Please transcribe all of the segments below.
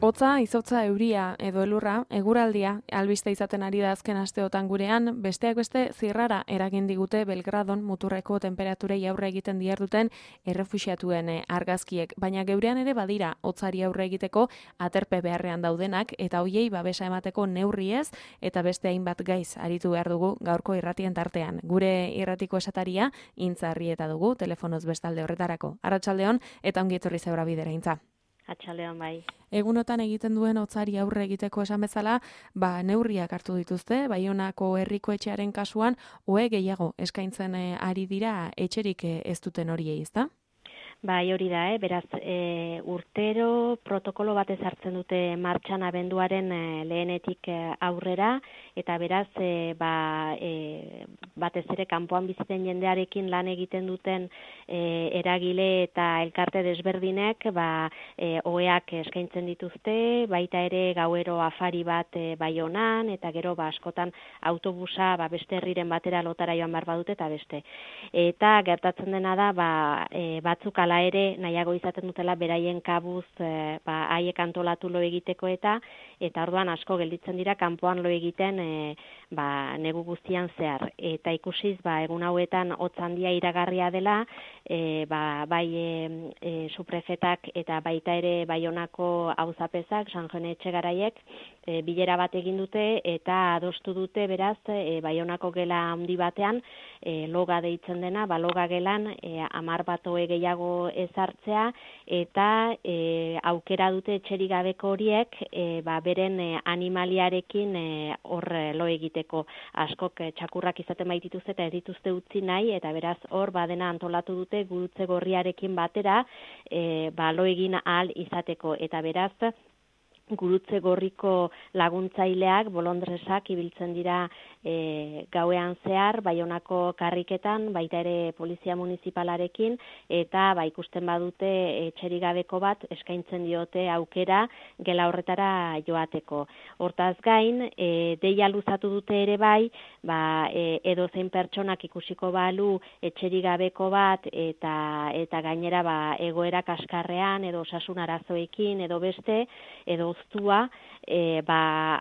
Hotza, izotza, euria edo elurra, eguraldia, albiste izaten ari da azken asteotan gurean, besteak beste zirrara eragin digute Belgradon muturreko temperaturei aurre egiten diharduten errefuxiatuen argazkiek, baina geurean ere badira hotzari aurre egiteko aterpe beharrean daudenak eta hoiei babesa emateko neurriez eta beste hainbat gaiz aritu behar dugu gaurko irratien tartean. Gure irratiko esataria Intzarrieta dugu telefonoz bestalde horretarako. Arratsaldeon eta ongi etorri Zeura Bidera, Intza. Atxaldeon bai. Egunotan egiten duen hotzari aurre egiteko esan bezala, neurriak hartu dituzte, Baionako herriko etxearen kasuan, ohe gehiago eskaintzen ari dira etxerik ez duten horiei, ezta? Bai, hori da, beraz, urtero protokolo bat ezartzen dute martxan abenduaren lehenetik aurrera, eta beraz, batez ere kanpoan biziten jendearekin lan egiten duten eragile eta elkarte desberdinek, oheak eskaintzen dituzte, baita ere gauero afari bat Baionan, eta gero askotan autobusa beste herriren batera lotara joan behar badute eta beste. Eta gertatzen dena da, batzuk ala ere nahiago izaten dutela beraien kabuz haiek antolatu lo egiteko eta orduan asko gelditzen dira kanpoan lo egiten negu guztian zehar. Eta ikusiz egun hauetan hotz handia iragarria dela, suprefetak eta baita ere Baionako auzapezak, San Jone Etxegaraiek bilera bat egin dute eta adostu dute beraz Baionako gela handi batean loga deitzen dena, loga gelan 10 bat ohe gehiago ezartzea eta aukera dute etxerik gabeko horiek beren animaliarekin hor lo egiteko. Askok txakurrak izaten baitituzte eta ez dituzte utzi nahi eta beraz hor badena antolatu dute gurutze gorriarekin batera lo egin ahal izateko eta beraz gurutze gorriko laguntzaileak, bolondresak ibiltzen dira gauean zehar, Baionako karriketan, baita ere polizia municipalarekin, eta ikusten badute etxerik gabeko bat eskaintzen diote aukera gela horretara joateko. Hortaz gain, deia luzatu dute ere edozein pertsonak ikusiko balu etxerik gabeko bat eta gainera egoera kaskarrean edo osasun arazoekin edo beste, edo oztua,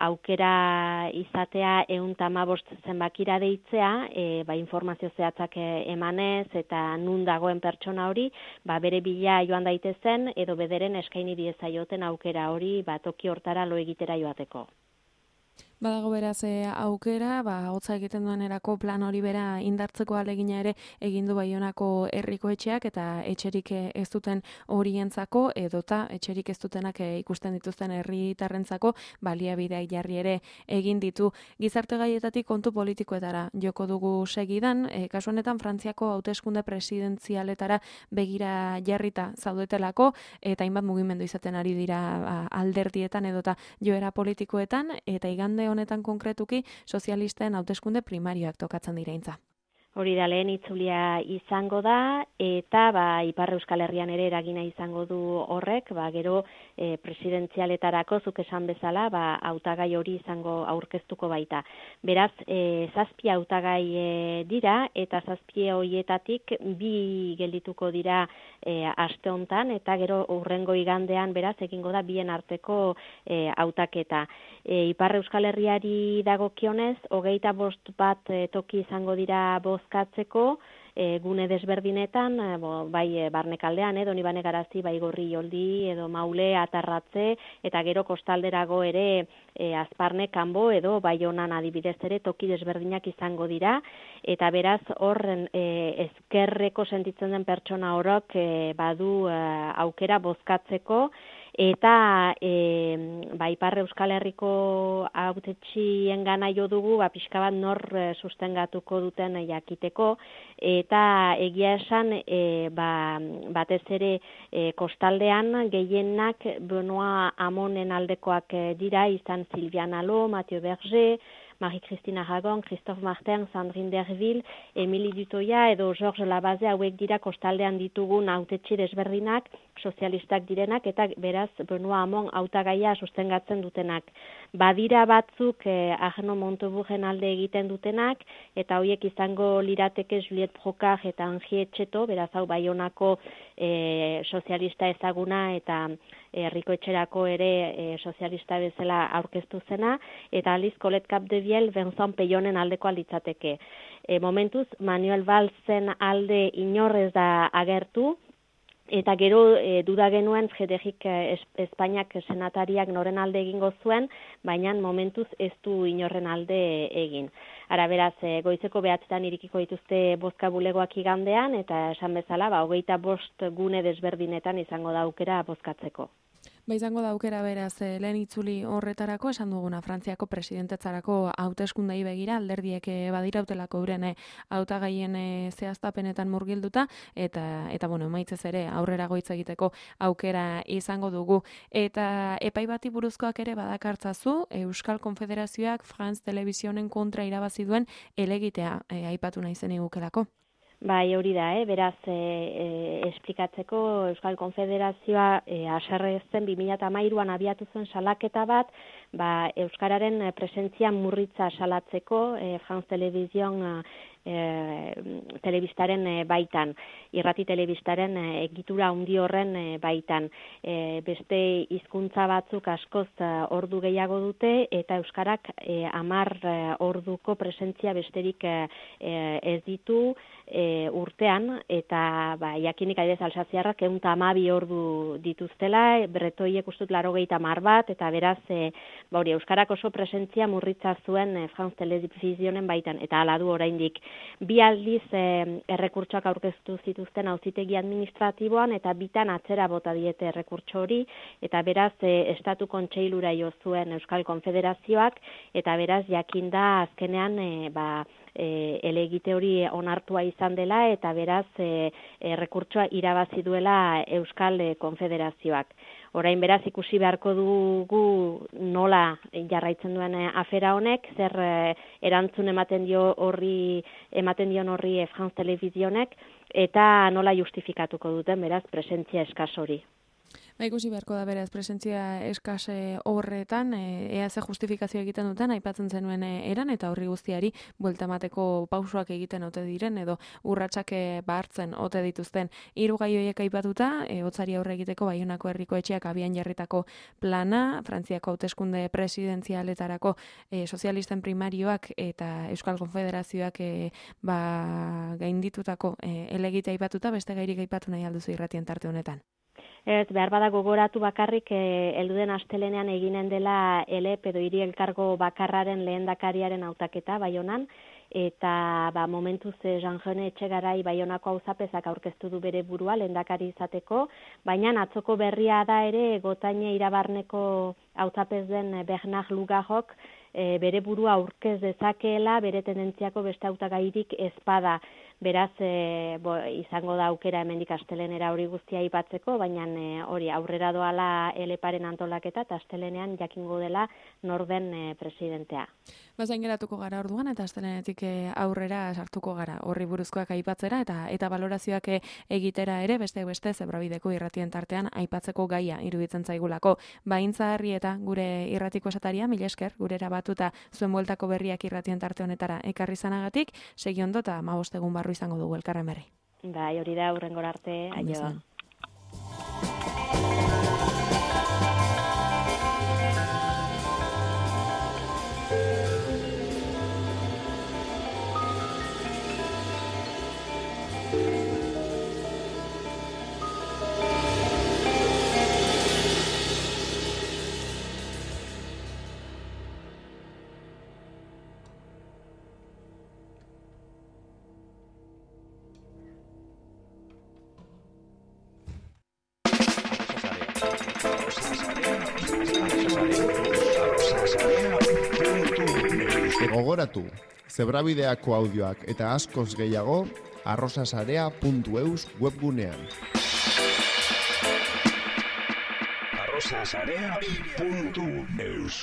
aukera izatea 115 zenbakira deitzea, informazio zehatzak emanez eta nun dagoen pertsona hori, bere bila joan daitezen edo bederen eskaini diezaioten aukera hori toki hortara lo egitera joateko. Badago beraz aukera, hotza egiten duenerako plan hori bera indartzeko ahalegina ere egin du Baionako herriko etxeak eta etxerik ez duten horientzako edota etxerik ez dutenak ikusten dituzten herritarrentzako baliabideak jarri ere egin ditu. Gizarte gaietatik kontu politikoetara joko dugu segidan, kasu honetan Frantziako hauteskunde presidentzialetara begira jarrita zaudetelako eta hainbat mugimendu izaten ari dira alderdietan edota joera politikoetan eta igande honetan konkretuki sozialisten hauteskunde primarioak tokatzen dira, Intza. Hori da lehen itzulia izango da eta Ipar Euskal Herrian ere eragina izango du horrek, gero presidentzialetarako zuk esan bezala, hautagai hori izango aurkeztuko baita. Beraz, 7 hautagai dira eta 7 horietatik 2 geldituko dira aste hontan eta gero hurrengo igandean beraz egingo da bien arteko hautaketa. Ipar Euskal Herriari dagokionez, 25 bat toki izango dira bozkatzeko, gune desberdinetan, bai Barnekaldean, Donibane Garazi, bai Gorrioldi, edo Maule, Atarratze, eta gero kostalderago ere Azparne, Kanbo, edo Baionan adibidez ere toki desberdinak izango dira, eta beraz horren ezkerreko sentitzen den pertsona horok badu aukera bozkatzeko, eta Ipar Euskal Herriko hautetxien gana jo dugu, pixka bat nor sustengatuko duten jakiteko, eta egia esan batez ere kostaldean gehienak Benoa Amonen aldekoak dira, izan Silvian Alo, Mathieu Berger, Marie-Christine Aragon, Christophe Martin, Sandrine Derville, Emilie Dutoya edo Georges Labaze hauek dira kostaldean ditugun hautetxi desberdinak, sozialistak direnak, eta beraz Benoit Hamon hautagaia sustengatzen dutenak. Badira batzuk Arnaud Montebourgen alde egiten dutenak, eta horiek izango lirateke Juliette Brocard eta Henri Etxeto, beraz hau Baionako sozialista ezaguna eta herriko etxerako ere sozialista bezala aurkeztu zena, eta aliz Colette Capdevielle Vincent Peillonen aldeko litzateke. Momentuz Manuel Valsen alde inorrez da agertu, eta gero duda genuen Frederik Espainiak senatariak noren alde egingo zuen, baina momentuz ez du inorren alde egin. Ara beraz, goizeko 9 irikiko dituzte bozka bulegoak igandean, eta esan bezala, 25 gune desberdinetan izango da aukera bozkatzeko. Izango da aukera beraz lehen itzuli horretarako, esan duguna Frantziako presidentetzarako hauteskundei begira, alderdiek badirautelako euren hautagaien zehaztapenetan murgilduta, eta bueno, emaitzez ere aurrera goitz egiteko aukera izango dugu. Eta epai bati buruzkoak ere badakartzazu, Euskal Konfederazioak France Televisionen kontra irabazi duen helegitea aipatu nahi zen igukelako. Bai, hori da, beraz, esplikatzeko Euskal Konfederazioa haserrezen 2013an abiatu zuen salaketa bat, Euskararen presentzia murritza salatzeko France Television telebistaren baitan, irrati telebistaren egitura handi horren baitan. Beste hizkuntza batzuk askoz ordu gehiago dute, eta Euskarak 10 orduko presentzia besterik ez ditu urtean, eta jakinik adibidez Alsaziarrak 112 ordu dituztela, bretoiek ustut 80 bat, eta beraz Euskarak oso presentzia murritza zuen France Televisionen baitan, eta hala du oraindik. Bi aldiz errekurtsoak aurkeztu zituzten auzitegi administratiboan, eta bitan atzera bota diete errekurtso hori, eta beraz Estatu Kontseilura jo zuen Euskal Konfederazioak, eta beraz jakinda azkenean helegite hori onartua izan dela, eta beraz errekurtsoa irabazi duela Euskal Konfederazioak. Orain beraz ikusi beharko dugu nola jarraitzen duen afera honek, zer erantzun ematen dion horri France Televisionek, eta nola justifikatuko duten beraz presentzia eskas hori. Ikusi beharko da beraz presentzia eskase horretan, ea ze justifikazio egiten duten, aipatzen zenuen eran, eta horri guztiari buelta emateko pausoak egiten ote diren, edo urratsak hartzen ote dituzten. 3 gai horiek aipatuta, hotzari aurre egiteko Baionako herriko etxeak abian jarritako plana, Frantziako hauteskunde presidentzialetarako sozialisten primarioak eta Euskal Konfederazioak gainditutako helegitea aipatuta, beste gairik aipatu nahi alduzu irratien tarte honetan. Ez, behar bada gogoratu bakarrik helduden astelenean eginen dela ELEP edo hiri elkargo bakarraren lehendakariaren hautaketa Baionan, eta momentuz Jean-Jone Etxegarai Baionako auzapezak aurkeztu du bere burua lehendakari izateko, baina atzoko berria da ere Gotaine Irabarneko hautapez den Bernard Lugarrok bere burua aurkez dezakeela, bere tendentziako beste hautagairik ezpada. Beraz, izango da aukera hemendik astelenera hori guztia aipatzeko, baina hori aurrera doala eleparen antolaketa, eta astelenean jakingo dela norden presidentea. Zain geratuko gara orduan, eta astelenetik aurrera sartuko gara horri buruzkoak aipatzera, eta balorazioak egitera ere, beste Zebrabideko irratien tartean aipatzeko gaia iruditzen zaigulako. Baintza Harri eta gure irratiko esataria, mila esker, gurera batuta zuen bueltako berriak irratien tarte honetara ekarri zanagatik, segi ondo eta 15 egun barru izango dugu elkarren berri. Bai, hori da, hurrengora arte, aio. Gogoratu, Zebrabideako audioak eta askoz gehiago arrosasarea.eus webgunean. arrosasarea.eus